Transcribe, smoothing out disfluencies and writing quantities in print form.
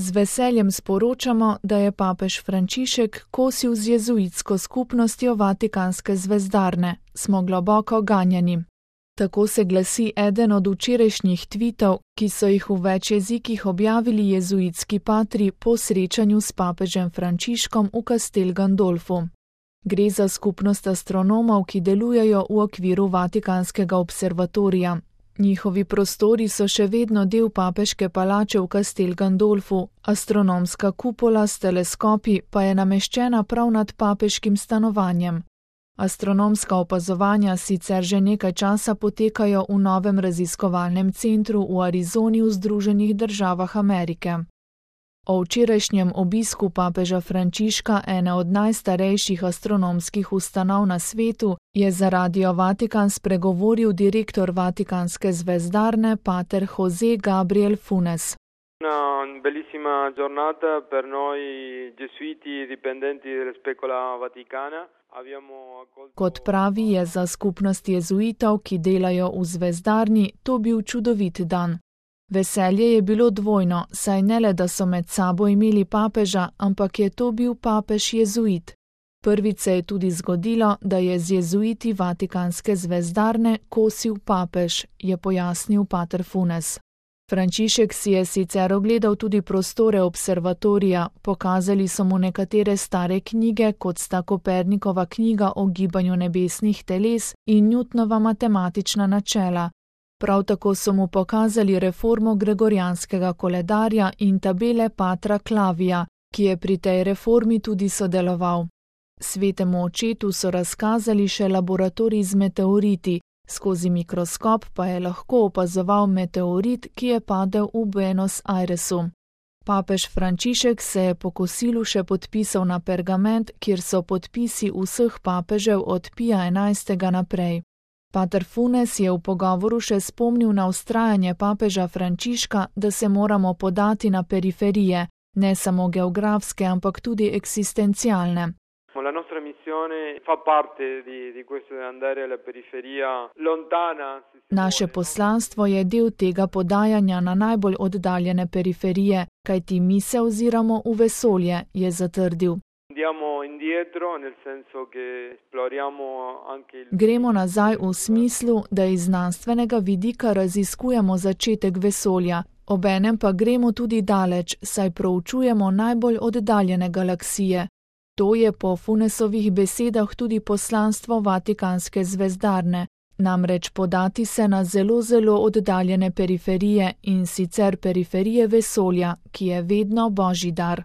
Z veseljem sporočamo, da je papež Frančišek kosil z jezuitsko skupnostjo Vatikanske zvezdarne. Smo globoko ganjeni. Tako se glasi eden od včerajšnjih tvitov, ki so jih v več jezikih objavili jezuitski patri po srečanju s papežem Frančiškom v Castel Gandolfu. Gre za skupnost astronomov, ki delujejo v okviru Vatikanskega observatorija. Njihovi prostori so še vedno del papeške palače v Castel Gandolfu, astronomska kupola s teleskopi pa je nameščena prav nad papeškim stanovanjem. Astronomska opazovanja sicer že nekaj časa potekajo v novem raziskovalnem centru v Arizoni v Združenih državah Amerike. O včerajšnjem obisku papeža Frančiška, ene od najstarejših astronomskih ustanov na svetu, je za Radio Vatikan spregovoril direktor Vatikanske zvezdarne, pater José Gabriel Funes. Una bellissima giornata per noi gesuiti dipendenti della Specola Vaticana. Kot pravi, je za skupnost jezuitov, ki delajo v zvezdarni, to bil čudovit dan. Veselje je bilo dvojno, saj ne le, da so med sabo imeli papeža, ampak je to bil papež jezuit. Prvič se je tudi zgodilo, da je z jezuiti Vatikanske zvezdarne kosil papež, je pojasnil pater Funes. Frančišek si je sicer ogledal tudi prostore observatorija, pokazali so mu nekatere stare knjige, kot sta Kopernikova knjiga o gibanju nebesnih teles in Newtonova matematična načela. Prav tako so mu pokazali reformo gregorijanskega koledarja in tabele patra Klavija, ki je pri tej reformi tudi sodeloval. Svetemu očetu so razkazali še laboratorij z meteoriti, skozi mikroskop pa je lahko opazoval meteorit, ki je padel v Buenos Airesu. Papež Frančišek se je po kosilu še podpisal na pergament, kjer so podpisi vseh papežev od Pija XI. Naprej. Pater Funes je v pogovoru še spomnil na vztrajanje papeža Frančiška, da se moramo podati na periferije, ne samo geografske, ampak tudi eksistencialne. La nostra missione fa parte di questo andare alla periferia lontana. Naše poslanstvo je del tega podajanja na najbolj oddaljene periferije, kajti mi se oziramo v vesolje, je zatrdil. Gremo nazaj v smislu, da iz znanstvenega vidika raziskujemo začetek vesolja, obenem pa gremo tudi daleč, saj proučujemo najbolj oddaljene galaksije. To je po Funesovih besedah tudi poslanstvo Vatikanske zvezdarne, namreč podati se na zelo oddaljene periferije in sicer periferije vesolja, ki je vedno božji dar.